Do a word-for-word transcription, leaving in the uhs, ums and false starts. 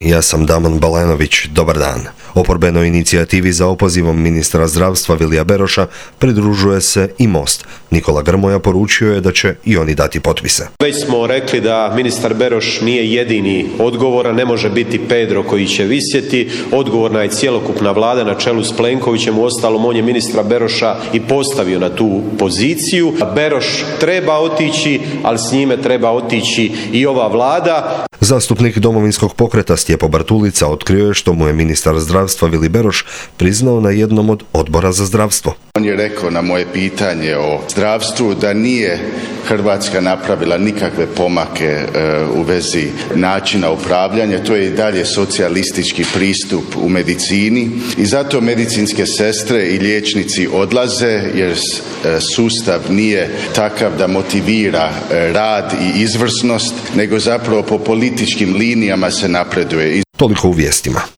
Ja sam Damon Balenović, dobar dan. Oporbenoj inicijativi za opozivom ministra zdravstva Vilija Beroša pridružuje se i Most. Nikola Grmoja poručio je da će i oni dati potpise. Već smo rekli da ministar Beroš nije jedini odgovoran, ne može biti Pedro koji će visjeti, odgovorna je cjelokupna vlada na čelu s Plenkovićem, uostalom on je ministra Beroša i postavio na tu poziciju. Beroš treba otići, ali s njime treba otići i ova vlada. Zastupnik Domovinskog pokreta Stjepo Bartulica otkrio je što mu je ministar zdravstva Vili Beroš priznao na jednom od odbora za zdravstvo. On je rekao na moje pitanje o zdravstvu da nije Hrvatska napravila nikakve pomake e, u vezi načina upravljanja. To je i dalje socijalistički pristup u medicini i zato medicinske sestre i liječnici odlaze jer e, sustav nije takav da motivira e, rad i izvrsnost, nego zapravo po političkim linijama se napreduje. Toliko u vijestima.